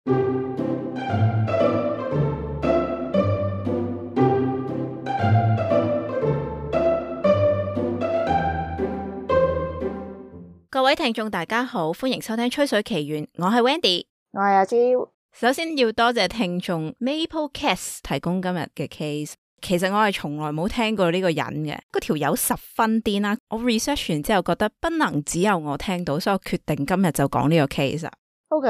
各位聽眾大家好，歡迎收聽吹水奇緣，我係 Wendy， 我係阿 Jo。首先要多謝聽眾 Maplecast 提供今日嘅 case。其實我係從來冇聽過呢個人嘅，嗰條友十分癲啦。我 research 完之後覺得不能只有我聽到，所以我決定今日就講呢個 case。OK，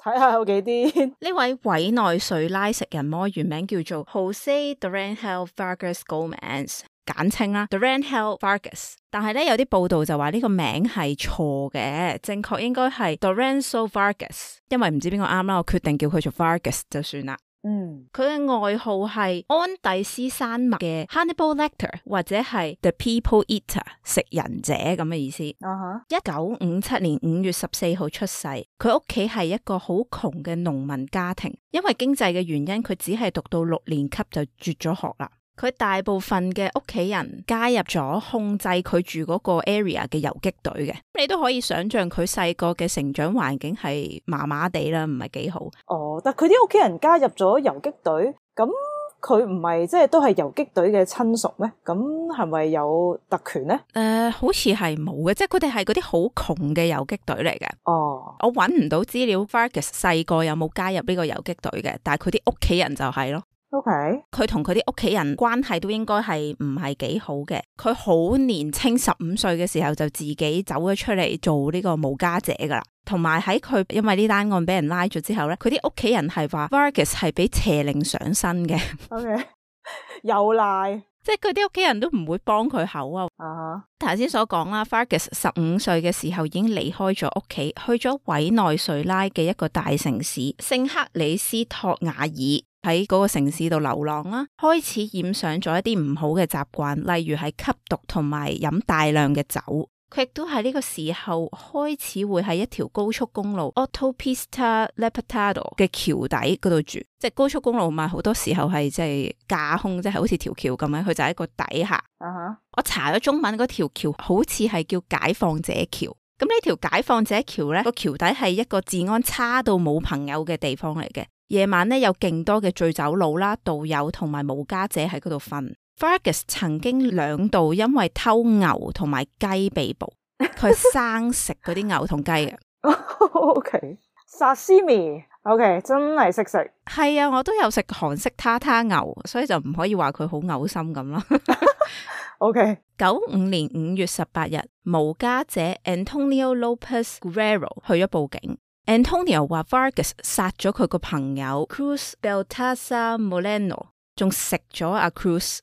睇下有幾癲。呢位委內瑞拉食人魔原名叫做 Jose Duranhel Vargas Gomez， 簡稱啦 Duranhel Vargas。但係咧有啲報道就話呢個名係錯嘅，正確應該係 Duranzo Vargas。因為唔知邊個啱啦，我決定叫佢做 Vargas 就算啦。佢嘅外號係安第斯山脈嘅 Hannibal Lecter 或者係 The People Eater 食人者咁嘅意思。1957年5月14號出世，佢屋企係一個好窮嘅農民家庭，因為經濟嘅原因，佢只係讀到6年級就輟咗學啦。佢大部分嘅屋企人加入咗控制佢住嗰個 area 嘅游擊隊嘅，你都可以想象佢細個嘅成長環境係麻麻地啦，唔係幾好。但佢啲屋企人加入咗游擊隊，咁佢唔係即係都係游擊隊嘅親屬咩？咁係咪有特權呢？好似係冇嘅，即係佢哋係嗰啲好窮嘅游擊隊嚟嘅。我揾唔到資料 Vargas 細個有冇加入呢個游擊隊嘅，但係佢啲屋企人就係咯。佢同佢啲屋企人關係都應該係唔係幾好嘅。佢好年青15歲嘅時候就自己走咗出嚟做呢個無家者噶啦。同埋喺佢因為呢單案俾人拉咗之後咧，佢啲屋企人係話 Vargas 係俾邪靈上身嘅。又賴，即係佢啲屋企人都唔會幫佢口啊。頭先所講啦 Vargas 15歲嘅時候已經離開咗屋企，去咗委內瑞拉嘅一個大城市聖克里斯托瓦爾，喺嗰個城市度流浪啦，開始染上咗一啲唔好嘅習慣，例如係吸毒同埋飲大量嘅酒。佢亦都喺呢個時候開始會喺一條高速公路 Autopista Libertador 嘅橋底嗰度住，即係高速公路嘛，好多時候係即係架空，即係好似條橋咁樣，佢就喺個底下。我查咗中文嗰條橋好似係叫解放者橋。咁呢條解放者橋呢，個橋底係一個治安差到冇朋友嘅地方嚟嘅。夜晚咧有勁多嘅醉酒佬啦、道友同埋無家者喺嗰度瞓。Vargas 曾經2度因為偷牛同埋雞被捕，佢生食嗰啲牛同雞嘅。Sashimi， 真係識食。係啊，我都有食韓式塔塔牛，所以就唔可以話佢好嘔心咁啦。95年5月18日，無家者 Antonio Lopez Guerrero 去咗報警。Antonio 話 Vargas 殺咗佢個朋友 Cruz Baltasar Moreno， 仲食咗阿 Cruz。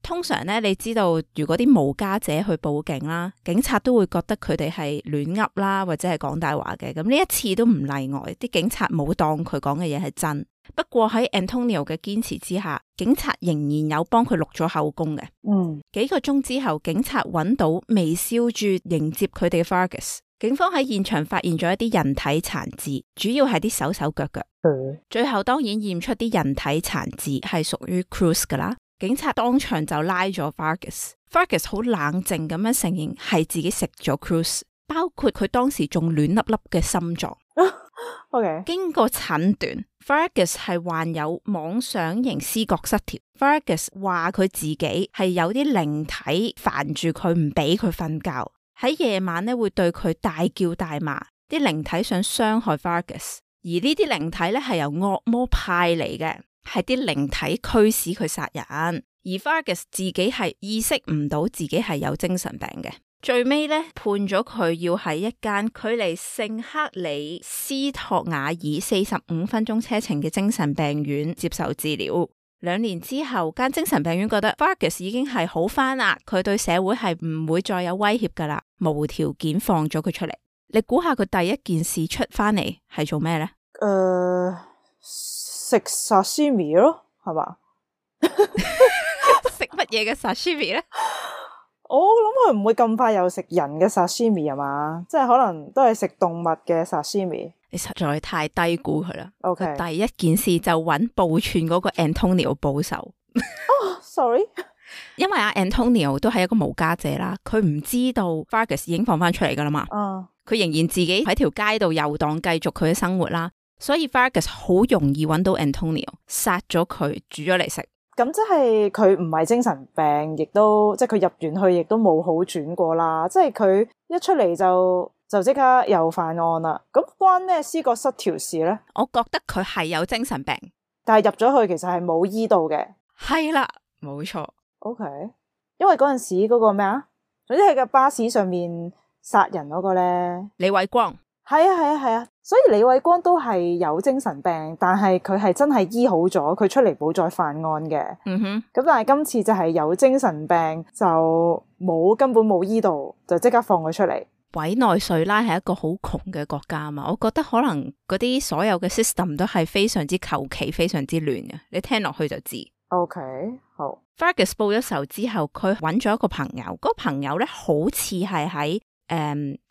通常咧，你知道如果啲無家者去報警啦，警察都會覺得佢哋係亂噏啦，或者係講大話嘅。咁呢一次都唔例外，啲警察冇當佢講嘅嘢係真。不過喺 Antonio 嘅堅持之下，警察仍然有幫佢錄咗口供嘅。幾個鐘之後，警察揾到微笑住迎接佢哋嘅 Vargas。警方喺現場發現咗一啲人體殘肢，主要係啲手手腳腳。最後當然驗出啲人體殘肢係屬於 Cruz 噶啦。警察當場就拉咗 Vargas 好冷靜咁樣承認係自己食咗 Cruz， 包括佢當時仲暖粒粒嘅心臟。經過診斷 Vargas 係患有妄想型思覺失調。Vargas 話佢自己係有啲靈體煩住佢，唔俾佢瞓覺，喺夜晚咧會對佢大叫大罵，啲靈體想傷害 Vargas， 而呢啲靈體咧係由惡魔派嚟嘅，係啲靈體驅使佢殺人，而 Vargas 自己係意識唔到自己係有精神病嘅。最尾咧判咗佢要喺一間距離聖克里斯托瓦爾45分鐘車程嘅精神病院接受治療。2年之後，間精神病院覺得 Vargas 已經係好返啦，佢對社會係唔會再有威脅噶啦，無條件放咗佢出嚟。你估下佢第一件事出返嚟係做咩呢？食 sashimi 咯，係嘛？食乜嘢嘅 sashimi 呢？我諗佢唔會咁快又食人嘅 sashimi 係嘛？即係可能都係食動物嘅 sashimi。你實在太低估佢啦。OK， 第一件事就揾報串嗰個 Antonio 報仇。Sorry， 因為阿 Antonio 都係一個無家者啦，佢唔知道 Vargas 已經放翻出嚟噶啦嘛。佢仍然自己喺條街度遊蕩，繼續佢嘅生活啦。所以 Vargas 好容易揾到 Antonio， 殺咗佢煮咗嚟食。咁即係佢唔係精神病，亦都即係佢入完去亦都冇好轉過啦。即係佢一出嚟就即刻又犯案啦。咁關咩思覺失調事咧？我覺得佢係有精神病，但係入咗去其實係冇醫到嘅。係啦，冇錯。OK，因為嗰陣時嗰個咩啊，總之係個巴士上面殺人嗰個咧，李偉光。係啊，所以李偉光都係有精神病，但係佢係真係醫好咗，佢出嚟冇再犯案嘅。咁但係今次就係有精神病，就根本冇醫到，就即刻放佢出嚟。委內瑞拉係一個好窮嘅國家嘛，我覺得可能嗰啲所有嘅 system 都係非常之求其，非常之亂嘅。你聽落去就知。OK， 好。Vargas 報咗仇之後，佢揾咗一個朋友，嗰個朋友咧好似係喺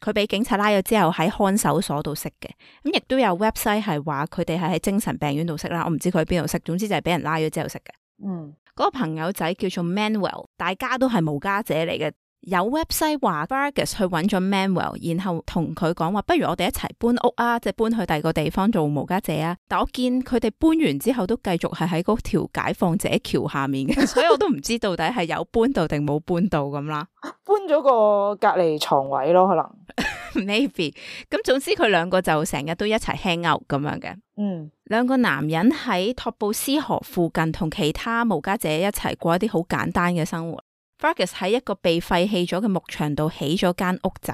佢俾警察拉咗之後喺看守所度識嘅，咁亦都有 website 係話佢哋係喺精神病院度識啦。我唔知佢喺邊度識，總之就係俾人拉咗之後識嘅。嗰個朋友仔叫做 Manuel， 大家都係無家者嚟嘅。有 website 話 Vargas 去揾咗 Manuel， 然後同佢講話，不如我哋一齊搬屋啊，即係搬去第二個地方做無家者啊。但我見佢哋搬完之後都繼續係喺嗰條解放者橋下面嘅，所以我都唔知到底係有搬到定冇搬到咁啦。搬咗個隔離床位咯，可能 maybe。咁總之佢兩個就成日都一齊 hang out 咁樣嘅。兩個男人喺托布斯河附近同其他無家者一齊過一啲好簡單嘅生活。Vargas 喺一個被廢棄咗嘅牧場度起咗間屋仔，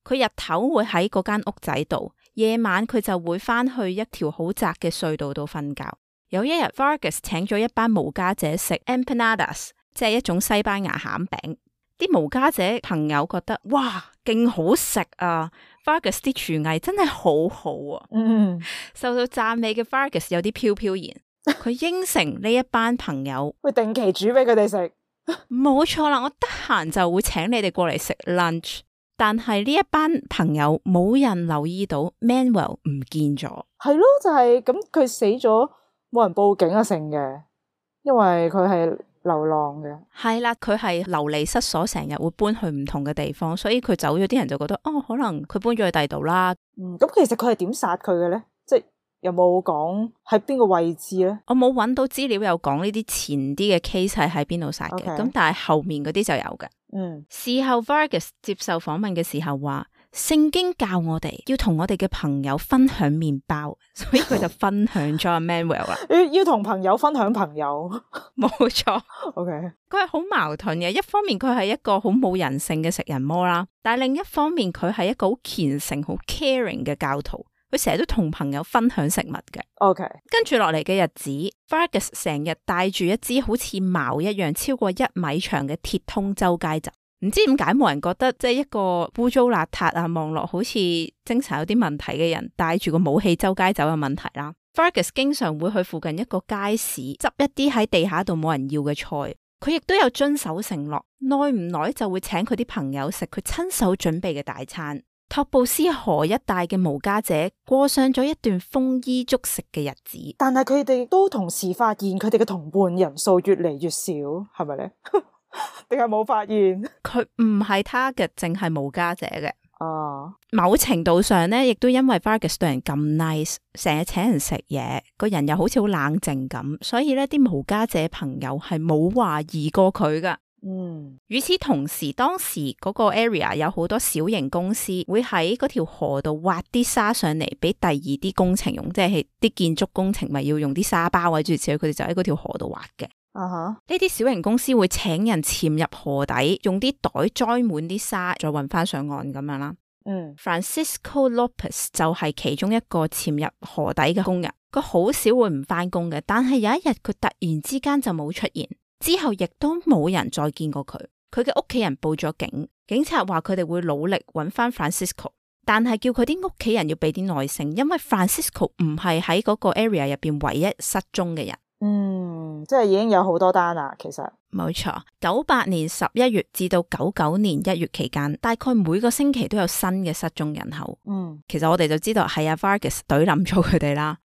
佢日頭會喺嗰間屋仔度，夜晚佢就會翻去一條好窄嘅隧道度瞓覺。有一日 Vargas 請咗一班無家者食 empanadas， 即係一種西班牙餡餅。啲無家者朋友覺得哇，勁好食啊！ Vargas 啲廚藝真係好好啊。受到讚美嘅 Vargas 有啲飄飄然，佢應承呢一班朋友會定期煮俾佢哋食。冇錯啦，我得閒就會請你哋過嚟食 lunch。但係呢一班朋友冇人留意到 Manuel 唔見咗。係咯，就係咁，佢死咗冇人報警啊成嘅，因為佢係流浪嘅。係啦，佢係流離失所，成日會搬去唔同嘅地方，所以佢走咗，啲人就覺得哦，可能佢搬咗去第二度啦。咁其實佢係點殺佢嘅咧？即係有冇講喺邊個位置咧？我冇揾到資料有講呢啲前啲嘅 case 係喺邊度殺嘅，咁但係後面嗰啲就有嘅。事後 Vargas 接受訪問嘅時候話，聖經教我哋要同我哋嘅朋友分享麵包，所以佢就分享咗阿 Manuel 啦。要同朋友分享朋友，冇錯。OK，佢係好矛盾嘅，一方面佢係一個好冇人性嘅食人魔啦，但係另一方面佢係一個好虔誠、好 caring 嘅教徒。佢成日都同朋友分享食物嘅。OK， 跟住落嚟嘅日子 ，Vargas 成日帶住一支好似矛一樣超過1米長嘅鐵通周街走。唔知點解冇人覺得即係一個污糟邋遢啊，望落好似精神有啲問題嘅人帶住個武器周街走嘅問題啦。Vargas 經常會去附近一個街市執一啲喺地下度冇人要嘅菜。佢亦都有遵守承諾，耐唔耐就會請佢啲朋友食佢親手準備嘅大餐。托布斯河一帶嘅無家者過上咗一段豐衣足食嘅日子，但係佢哋都同時發現佢哋嘅同伴人數越嚟越少，係咪咧？定係冇發現？佢唔係 target，淨係無家者嘅。哦，某程度上咧，亦都因為 Vargas 對人咁 nice， 成日請人食嘢，個人又好似好冷靜咁，所以咧啲無家者朋友係冇懷疑過佢噶。與此同時，當時嗰個 area 有好多小型公司會喺嗰條河度挖啲沙上嚟俾第二啲工程用，即係啲建築工程咪要用啲沙包或者諸如此類，佢哋就喺嗰條河度挖嘅。呢啲小型公司會請人潛入河底，用啲袋裝滿啲沙，再運翻上岸咁樣啦。Francisco Lopez 就係其中一個潛入河底嘅工人，佢好少會唔翻工嘅，但係有一日佢突然之間就冇出現。之後亦都冇人再見過佢，佢嘅屋企人報咗警，警察話佢哋會努力揾翻 Francisco， 但係叫佢啲屋企人要俾啲耐性，因為 Francisco 唔係喺嗰個 area 入邊唯一失蹤嘅人。即係已經有好多單啦，其實。冇錯，98年11月至到99年1月期間，大概每個星期都有新嘅失蹤人口。其實我哋就知道係阿 Vargas 懟冧咗佢哋啦。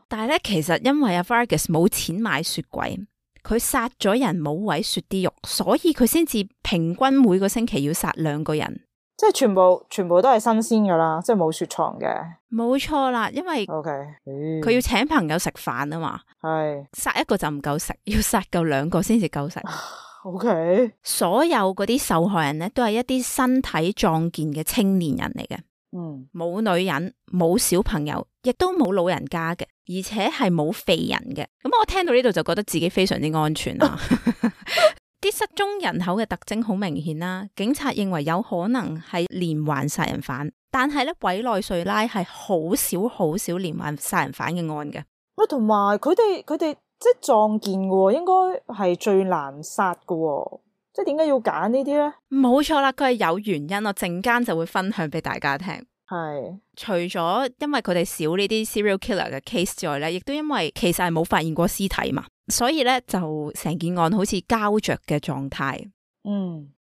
但係咧，其實因為阿 Vargas 冇錢買雪櫃。佢殺咗人冇位雪啲肉，所以佢先至平均每個星期要殺2個人，即係全部都係新鮮噶啦，即係冇雪藏嘅。冇錯啦，因為佢要請朋友食飯啊嘛，係殺一個就唔夠食，要殺夠2個先至夠食。OK，所有嗰啲受害人咧都係一啲身體壯健嘅青年人嚟嘅，冇女人，冇小朋友，亦都冇老人家嘅，而且係冇肥人嘅。咁我聽到呢度就覺得自己非常之安全啦。啲失蹤人口嘅特徵好明顯啦，警察認為有可能係連環殺人犯，但係咧委內瑞拉係好少連環殺人犯嘅案嘅。同埋佢哋即係壯健嘅，應該係最難殺嘅，即係點解要揀呢啲咧？冇錯啦，佢係有原因，我陣間就會分享俾大家聽。係除咗因為佢哋少呢啲 serial killer 嘅 case 之外咧，亦都因為其實係冇發現過屍體嘛，所以咧就成件案好似膠着嘅狀態。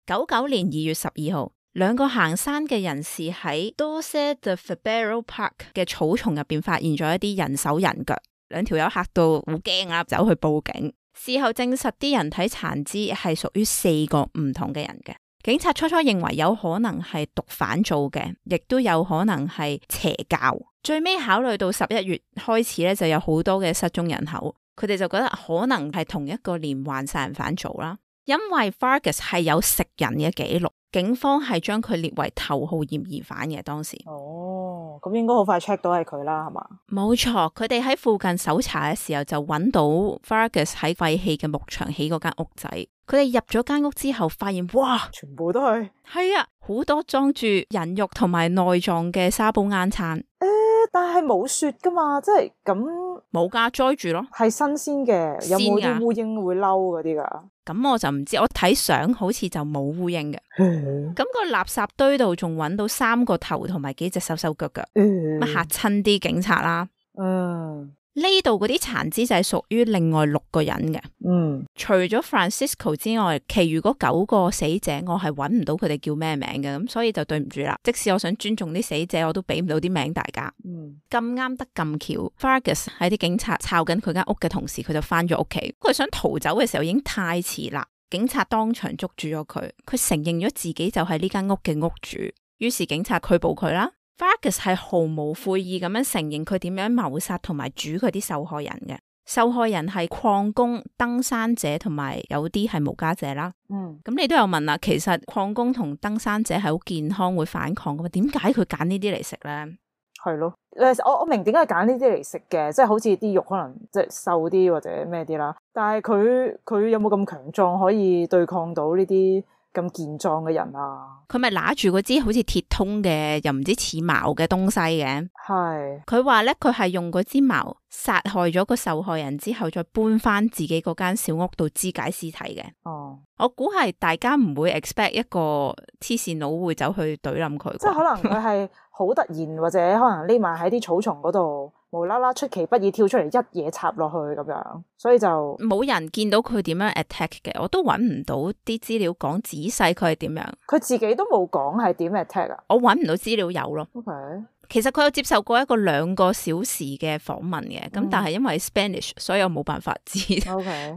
99年2月12號，2個行山嘅人士喺 Doce de Fevereiro Park 嘅草叢入邊發現咗一啲人手人腳，2條友嚇到好驚啊，走去報警。事後證實啲人體殘肢係屬於4個唔同嘅人嘅。警察初認為有可能係毒販做嘅，亦都有可能係邪教。最尾考慮到11月開始咧，就有好多嘅失蹤人口，佢哋就覺得可能係同一個連環殺人犯做啦。因為 Vargas 係有食人嘅記錄，警方係將佢列為頭號嫌疑犯嘅當時。咁應該好快 check 到係佢啦，係嘛？冇錯，佢哋喺附近搜查嘅時候就揾到 Vargas 喺廢棄嘅牧場起嗰間屋仔。佢哋入咗間屋之後，發現哇，全部都係啊，好多裝住人肉同埋內臟嘅沙煲罌罉。但係冇雪噶嘛，即係咁冇噶，栽住咯，係新鮮嘅。有冇啲烏蠅會嬲嗰啲噶？咁我就唔知，我睇相好似就冇烏蠅嘅。咁個垃圾堆度仲揾到3個頭同埋幾隻手腳腳，乜嚇親啲警察啦。呢度嗰啲殘肢就係屬於另外6個人嘅。除咗 Francisco 之外，其餘嗰9個死者我係揾唔到佢哋叫咩名嘅，咁所以就對唔住啦。即使我想尊重啲死者，我都俾唔到啲名大家。咁啱得咁巧 Vargas 喺啲警察抄緊佢間屋嘅同時，佢就翻咗屋企。佢想逃走嘅時候已經太遲啦，警察當場捉住咗佢。佢承認咗自己就係呢間屋嘅屋主，於是警察拘捕佢啦。Vargas 係毫無悔意咁樣承認佢點樣謀殺同埋煮佢啲受害人嘅。受害人係礦工、登山者同埋有啲係無家者啦。咁你都有問啦，其實礦工同登山者係好健康會反抗噶嘛？點解佢揀呢啲嚟食咧？係咯，我明點解揀呢啲嚟食嘅，即係好似啲肉可能即係瘦啲或者咩啲啦。但係佢有冇咁強壯可以對抗到呢啲咁健壯嘅人啊？佢咪拿住嗰支好似鐵通嘅又唔知似矛嘅東西嘅。係佢話咧，佢係用嗰支矛殺害咗個受害人之後，再搬翻自己嗰間小屋度肢解屍體嘅。我估係大家唔會 expect 一個黐線佬會走去懟冧佢，即係可能佢係好突然或者可能匿埋喺啲草叢嗰度，無啦啦出其不意跳出嚟一嘢插落去咁樣，所以就冇人見到佢點樣 attack 嘅，我都揾唔到啲資料講仔細佢係點樣。佢自己都冇講係點 attack 啊？我揾唔到資料有咯。Okay. 其實佢有接受過一個2個小時嘅訪問嘅，咁但係因為 Spanish，所以我冇辦法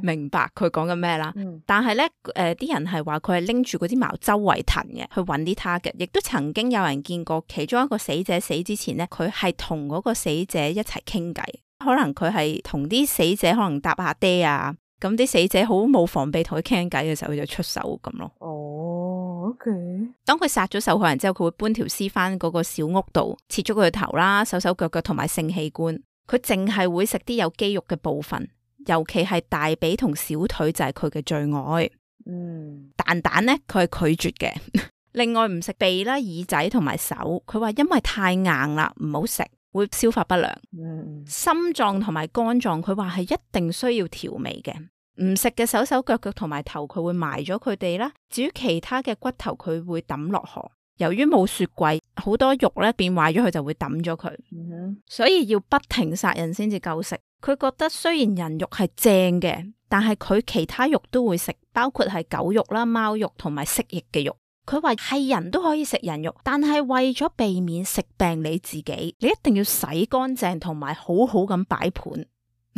明白佢講緊咩啦。但係咧，啲人係話佢係拎住嗰啲矛周圍騰嘅，去揾啲 target。亦都曾經有人見過其中一個死者死之前咧，佢係同嗰個死者一齊傾偈，可能佢係同啲死者可能搭下爹啊，咁啲死者好冇防備同佢傾偈嘅時候，佢就出手咁咯。OK。當佢殺咗受害人之後，佢會搬條屍翻嗰個小屋度，切咗佢嘅頭啦、手腳同埋性器官。佢淨係會食啲有肌肉嘅部分，尤其係大髀同小腿就係佢嘅最愛。蛋蛋咧，佢係拒絕嘅。另外唔食鼻啦、耳仔同埋手，佢話因為太硬啦，唔好食，會消化不良。心臟同埋肝臟，佢話係一定需要調味嘅。唔食嘅手腳同埋頭，佢會埋咗佢哋啦。至於其他嘅骨頭，佢會抌落河。由於冇雪櫃，好多肉咧變壞咗，佢就會抌咗佢。所以要不停殺人先至夠食。佢覺得雖然人肉係正嘅，但係佢其他肉都會食，包括係狗肉啦、貓肉同埋蜥蜴嘅肉。佢話係人都可以食人肉，但係為咗避免食病你自己，你一定要洗乾淨同埋好好咁擺盤。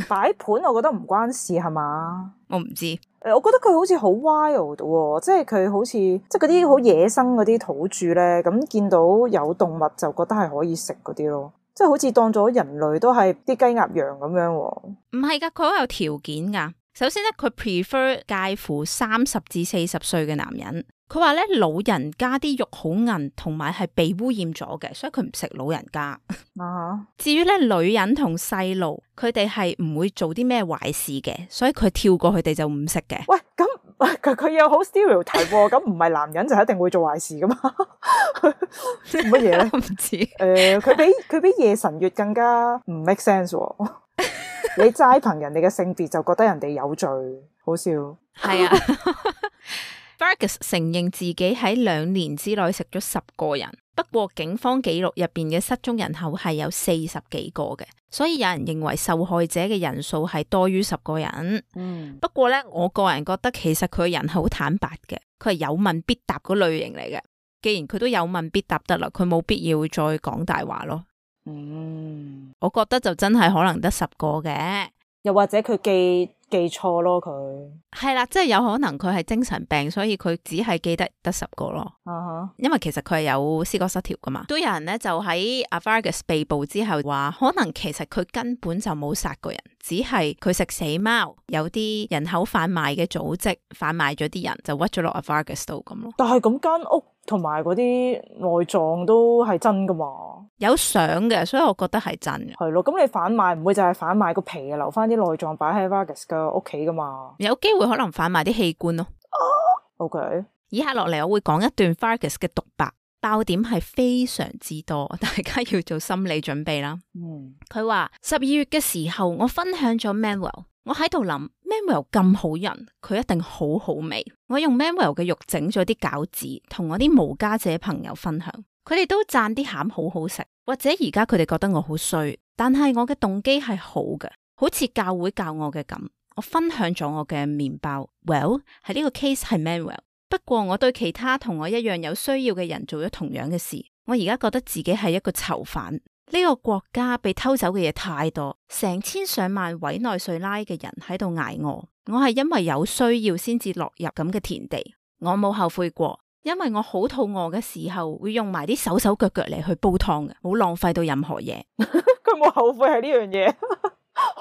擺盤我覺得唔關事係嘛？我唔知，我覺得佢好似好 wild 喎，即係佢好似即係嗰啲好野生嗰啲土著咧，咁見到有動物就覺得係可以食嗰啲咯，即係好似當咗人類都係啲雞鴨羊咁樣喎。唔係噶，佢好有條件噶。首先咧，佢 prefer 介乎30至40歲嘅男人。佢話咧，老人家啲肉好韌，同埋係被污染咗嘅，所以佢唔食老人家。至於咧，女人同細路，佢哋係唔會做啲咩壞事嘅，所以佢跳過佢哋就唔食嘅。喂，咁佢又好 stereotype 喎，咁唔係男人就一定會做壞事噶嘛？乜嘢咧？唔知。佢比夜神月更加唔 make sense 喎。你齋憑人哋嘅性別就覺得人哋有罪，好笑。係啊。Vargas 承認自己喺2年之內食咗10個人，不過警方記錄入邊嘅失蹤人口係有40幾個嘅，所以有人認為受害者嘅人數係多於10個人。不過咧，我個人覺得其實佢人好坦白嘅，佢係有問必答嗰類型嚟嘅。既然佢都有問必答得啦，佢冇必要再講大話咯。我覺得就真係可能得10個嘅，又或者佢記錯咯，佢係啦，即係有可能佢係精神病，所以佢只係記得10個咯。因為其實佢係有思覺失調噶嘛。都有人咧就喺阿 Vargas 被捕之後話，可能其實佢根本就冇殺過人，只係佢食死貓，有啲人口販賣嘅組織販賣咗啲人，就屈咗落阿 Vargas 度咁咯。但係咁間屋同埋嗰啲內臟都係真噶嘛？有相嘅，所以我覺得係真嘅。係咯，咁你販賣唔會就係販賣個皮啊，留翻啲內臟擺喺 Vargas 嘅屋企噶嘛？有機會可能販賣啲器官咯。OK，以下落嚟我會講一段 Vargas 嘅獨白，爆點係非常之多，大家要做心理準備啦。佢話12月嘅時候，我分享咗 Manuel， 我喺度諗 Manuel 咁好人，佢一定好好味。我用 Manuel 嘅肉整咗啲餃子，同我啲無家者朋友分享。佢哋都讚啲餡好好食，或者而家佢哋覺得我好衰，但係我嘅動機係好嘅，好似教會教我嘅咁。我分享咗我嘅麵包 ，Well 喺呢個 case 係 Manuel， 不過我對其他同我一樣有需要嘅人做咗同樣嘅事。我而家覺得自己係一個囚犯，呢個國家被偷走嘅嘢太多，成千上萬委內瑞拉嘅人喺度捱餓，我係因為有需要先至落入咁嘅田地，我冇後悔過。因為我好肚餓嘅時候，會用埋啲手手腳腳嚟去煲湯嘅，冇浪費到任何嘢。佢冇後悔係呢樣嘢。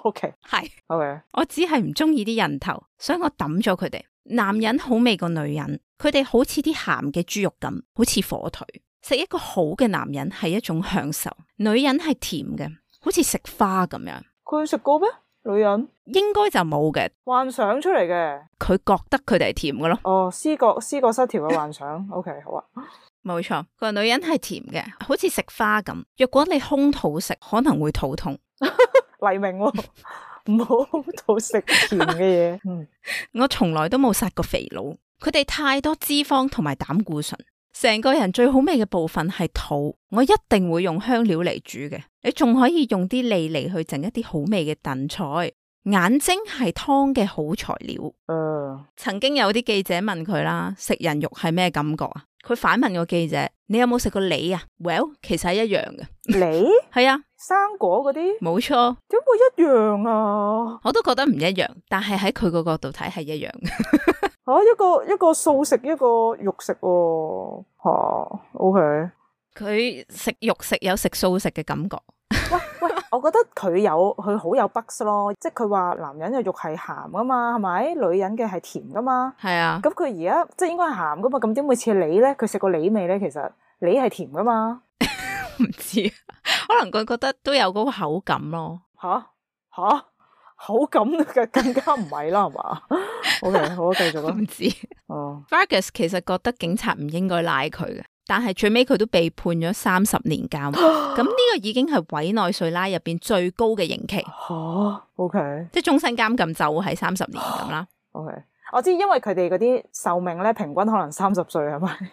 OK， 係 OK， 我只係唔中意啲人頭，所以我抌咗佢哋。男人好味過女人，佢哋好似啲鹹嘅豬肉咁，好似火腿。食一個好嘅男人係一種享受，女人係甜嘅，好似食花咁樣。佢食過咩？女人應該就冇嘅，幻想出嚟嘅。佢覺得佢哋係甜嘅咯。哦，思覺失調嘅幻想。OK， 好啊，冇錯。佢話女人係甜嘅，好似食花咁。若果你空肚食，可能會肚痛。黎明喎，唔好空肚食甜嘅嘢。我從來都冇殺過肥佬，佢哋太多脂肪同埋膽固醇。成個人最好味嘅部分係肚，我一定會用香料嚟煮嘅。你仲可以用啲脷嚟去整一啲好味嘅燉菜。眼睛係湯嘅好材料。曾經有啲記者問佢啦，食人肉係咩感覺啊？佢反問個記者：你有冇食過梨啊 ？Well， 其實係一樣嘅。梨？係啊，生果嗰啲？冇錯。點會一樣啊？我都覺得唔一樣，但係喺佢個角度睇係一樣嘅。一個素食，一個肉食喎。OK。佢食肉食有食素食嘅感覺。喂，我覺得佢好有 bugs 咯，即係佢話男人嘅肉係鹹噶嘛，係咪？女人嘅係甜噶嘛。係啊。咁佢而家即係應該係鹹噶嘛，咁點會似梨咧？佢食過梨味咧？其實梨係甜噶嘛。唔知，可能佢覺得都有嗰個口感咯。吓，口感嘅更加唔係啦，係嘛？OK， 好，繼續啦。唔知。Vargas 其實覺得警察唔應該拉佢嘅。但係最尾佢都被判咗30年監，咁呢個已經係委內瑞拉入邊最高嘅刑期。OK， 即係終身監禁就係30年咁啦。OK， 我知，因為佢哋嗰啲壽命咧，平均可能30歲係咪？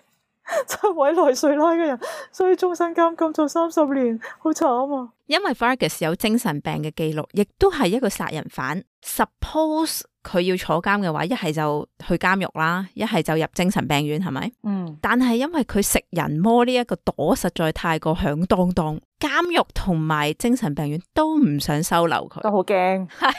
即係委內瑞拉嘅人，所以終身監禁做30年，好慘啊！因為 Vargas 有精神病嘅記錄，亦都係一個殺人犯。Suppose 佢要坐監嘅話，一係就去監獄啦，一係就入精神病院，係咪？但係因為佢食人魔呢一個朵實在太過響當當，監獄同埋精神病院都唔想收留佢，都好驚。係，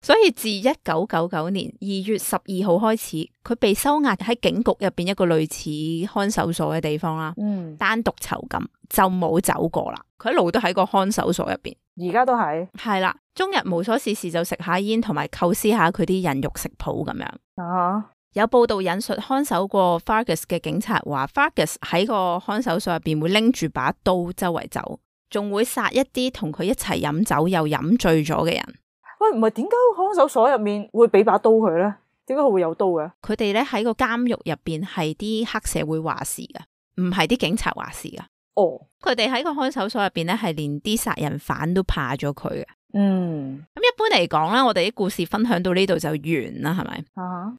所以自1999年2月12號開始，佢被收押喺警局入邊一個類似看守所嘅地方啦，單獨囚禁，就冇走過啦。佢一路都喺個看守所入邊，而家都係啦，終日無所事事就食下煙同埋構思下佢啲人肉食譜咁樣。有報道引述看守過 Fargus 嘅警察話 Fargus 喺個看守所入邊會拎住把刀周圍走，仲會殺一啲同佢一齊飲酒又飲醉咗嘅人。喂，唔係點解看守所入面會俾把刀佢咧？點解佢會有刀嘅？佢哋咧喺個監獄入邊係啲黑社會話事噶，唔係啲警察話事噶。佢哋喺個看守所入邊咧係連啲殺人犯都怕咗佢嘅。咁一般嚟講咧，我哋啲故事分享到呢度就完啦，係咪？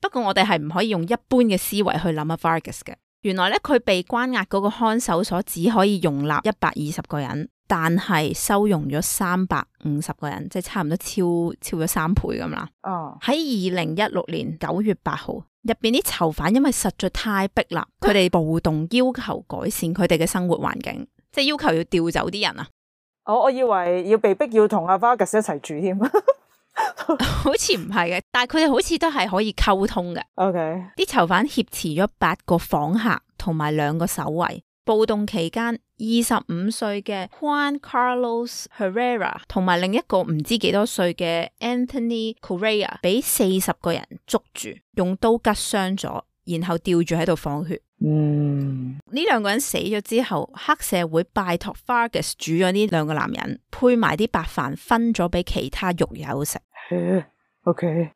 不過我哋係唔可以用一般嘅思維去諗阿 Fargus 嘅。原來咧佢被關押嗰個看守所只可以容納120個人，但係收容咗350個人，即係差唔多超咗3倍咁啦。喺2016年9月8號，入邊啲囚犯因為實在太逼啦，佢哋暴動要求改善佢哋嘅生活環境，即係要求要調走啲人啊。我以為要被逼要同阿 Vargas 一齊住添，好似唔係嘅，但係佢哋好似都係可以溝通嘅。啲囚犯挾持咗8個訪客同埋2個守衛。暴動期間，25歲嘅 Juan Carlos Herrera 同埋另一個唔知幾多歲嘅 Anthony Correa 俾40個人捉住，用刀拮傷咗，然後吊住喺度放血。呢2個人死咗之後，黑社會拜託 Fargus 煮咗呢2個男人，配埋啲白飯分咗俾其他獄友食。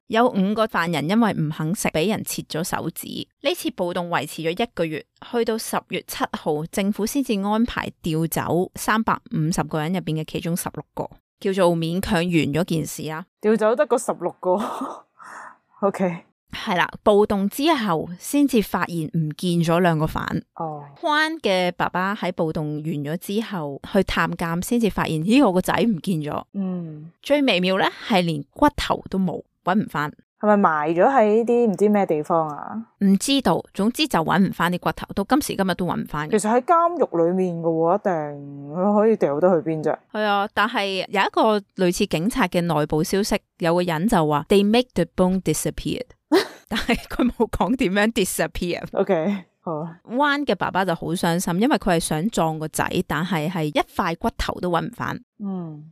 有5個犯人因為唔肯食，俾人切咗手指。呢次暴動維持咗1個月，去到10月7號，政府先至安排調走350個人入邊嘅其中16個，叫做勉強完咗件事啦。調走得個16個係啦，暴動之後先至發現唔見咗2個犯。Juan 嘅爸爸喺暴動完咗之後去探監，先至發現咦，我個仔唔見咗。最微妙咧係連骨頭都冇，搵唔翻。係咪埋咗喺啲唔知咩地方啊？唔知道，總之就搵唔翻啲骨頭，到今時今日都搵唔翻。其實喺監獄裏面嘅喎，一定可以掉得去邊啫？係啊，但係有一個類似警察嘅內部消息，有個人就話 They make the bone disappear。但係佢冇講點樣 disappear。好。Juan 嘅爸爸就好傷心，因為佢係想撞個仔，但係一塊骨頭都搵唔翻。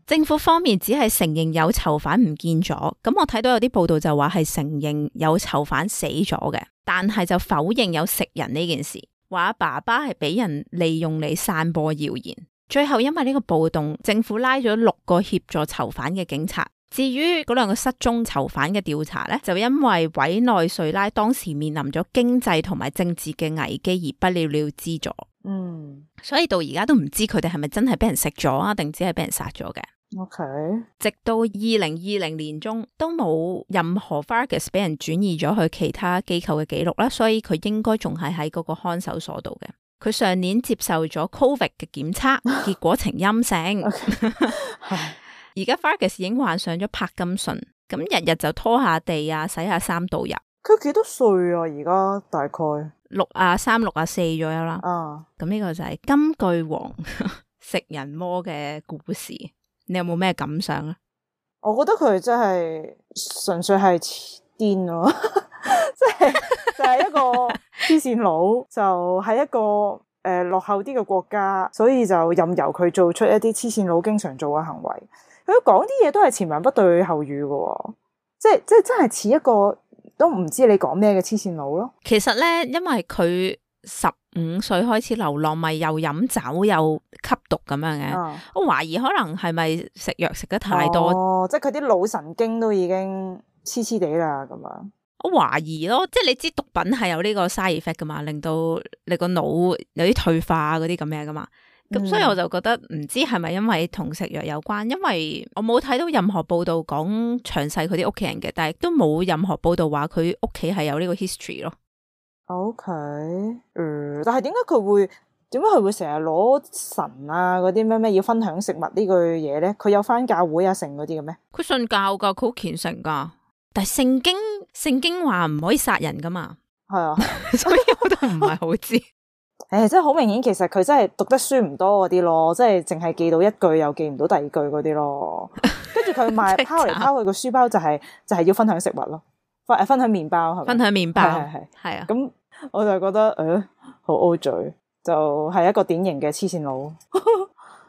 政府方面只係承認有囚犯唔見咗，咁我睇到有啲報道就話係承認有囚犯死咗嘅，但係就否認有食人呢件事，話阿爸爸係俾人利用嚟散播謠言。最後因為呢個暴動，政府拉咗6個協助囚犯嘅警察。至於嗰2個失蹤囚犯嘅調查呢，就因為委內瑞拉當時面臨咗經濟同埋政治嘅危機而不了了之咗。所以到而家都唔知佢哋係咪真係俾人食咗啊，定只係俾人殺咗嘅。直到2020年中都冇任何 Fargus 俾人轉移咗去其他機構嘅記錄啦，所以佢應該仲係喺嗰個看守所度嘅。佢上年接受咗 COVID 嘅檢測，結果呈陰性。而家 Fargus 已經患上咗柏金遜，咁日日就拖下地啊，洗下衫度日。佢幾多歲啊？而家大概63、64左右啦。咁呢個就係金句王食人魔嘅故事。你有冇咩感想啊？我覺得佢真係純粹係癲咯，就係一個黐線佬，就係一個落後啲嘅國家，所以就任由佢做出一啲黐線佬經常做嘅行為。佢講啲嘢都係前文不對後語嘅，即係真係似一個都唔知你講咩嘅黐線佬咯。其實咧，因為佢15歲開始流浪，咪又飲酒又吸毒咁樣嘅。我懷疑可能係咪食藥食得太多，即係佢啲腦神經都已經黐黐地啦咁樣。我懷疑咯，即係你知毒品係有呢個 side effect 噶嘛，令到你個腦有啲退化嗰啲咁嘅噶嘛。咁所以我就覺得唔知係咪因為同食藥有關，因為我冇睇到任何報道講詳細佢啲屋企人嘅，但係都冇任何報道話佢屋企係有呢個 history 咯。但係點解佢會成日攞神啊嗰啲咩要分享食物呢句嘢咧？佢有返教會啊成嗰啲嘅咩？佢信教噶，佢好虔誠噶。但係聖經話唔可以殺人噶嘛，係啊，所以我都唔係好知。誒，真係好明顯，其實佢真係讀得書唔多嗰啲咯，即係淨係記到一句又記唔到第二句嗰啲咯。跟住佢拋嚟拋去個書包就係要分享食物咯，分享麵包係咪？分享麵包係啊。咁我就覺得好 O 嘴，就係一個典型嘅黐線佬，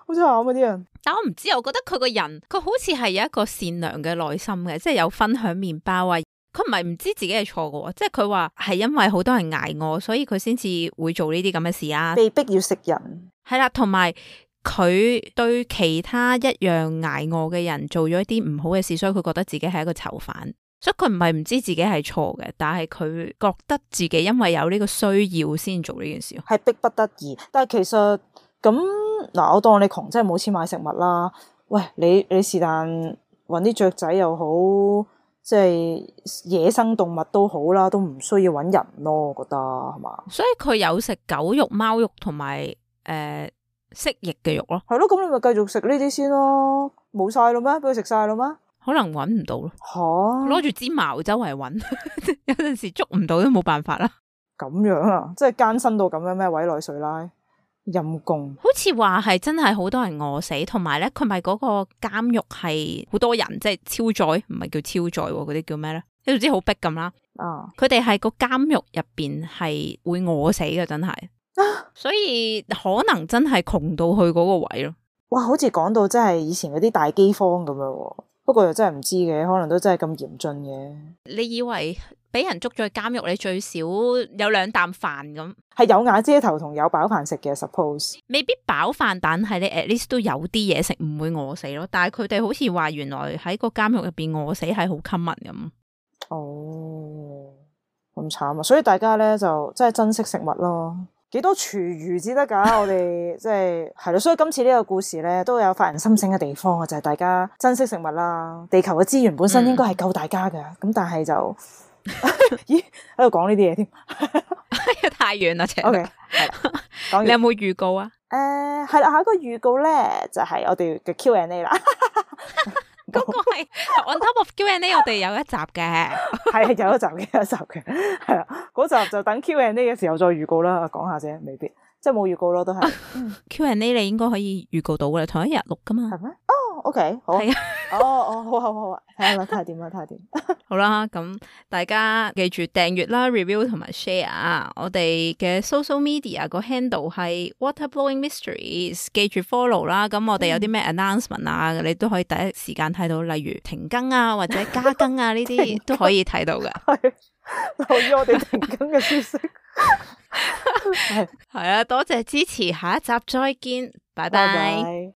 好慘啊啲人。但我唔知，我覺得佢個人佢好似係有一個善良嘅內心嘅，即係有分享麵包啊。佢唔係唔知自己係錯嘅，即係佢話係因為好多人捱餓，所以佢先至會做呢啲咁嘅事啊。被逼要食人，係啦，同埋佢對其他一樣捱餓嘅人做咗一啲唔好嘅事，所以佢覺得自己係一個囚犯。所以佢唔係唔知自己係錯嘅，但係佢覺得自己因為有呢個需要先做呢件事，係逼不得已。但係其實咁嗱，我當你窮，真係冇錢買食物啦。喂，你是但搵啲雀仔又好，即係野生動物都好啦，都唔需要搵人咯，我覺得係嘛？所以佢有食狗肉、貓肉同埋蜥蜴嘅肉咯。係咯，咁你咪繼續食呢啲先咯。冇晒咯咩？俾佢食晒咯咩？可能搵唔到咯。吓，攞住支矛周圍搵，有陣時捉唔到都冇辦法啦。咁樣啊，即係艱辛到咁樣咩？委內瑞拉陰公，好似話係真係好多人餓死，同埋咧佢咪嗰個監獄係好多人，即係超載，唔係叫超載嗰啲叫咩咧？你總之好逼咁啦。佢哋係個監獄入邊係會餓死嘅，真係。所以可能真係窮到去嗰個位咯。哇，好似講到真係以前嗰啲大饑荒咁樣。不過又真係唔知嘅，可能都真係咁嚴峻嘅。你以為俾人捉咗去監獄，你最少有2啖飯咁？係有瓦遮頭同有飽飯食嘅 suppose。未必飽飯，但係你 at least 都有啲嘢食，唔會餓死咯。但係佢哋好似話原來喺個監獄入邊餓死係好 common 咁。哦，咁慘啊！所以大家咧就真係珍惜食物咯。幾多廚餘至得噶？我哋即係咯，所以今次呢個故事咧都有發人深省嘅地方啊，就係大家珍惜食物啦。地球嘅資源本身應該係夠大家噶，咁但係就咦喺度講呢啲嘢添，太遠啦，請。OK， 係你有冇預告啊？係啦，下一個預告咧就係我哋嘅 Q&A 啦。嗰個係 on top of Q&A， 我哋有一集嘅，係有一集嘅，係啦，嗰集就等 Q&A 嘅時候再預告啦，講下啫，未必即係冇預告咯，都係。Q&A 你應該可以預告到嘅，同一日錄噶嘛。係咩？哦，OK， 好。係啊。哦，好啊，睇下點。好啦，咁大家記住訂閱啦、review 同埋 share。我哋嘅 social media 個 handle 係 Waterblowing Mysteries， 記住 follow 啦。咁我哋有啲咩 announcement 啊，你都可以第一時間睇到，例如停更啊或者加更啊呢啲都可以睇到嘅。係留意我哋停更嘅消息。係啊，多謝支持，下一集再見，拜拜。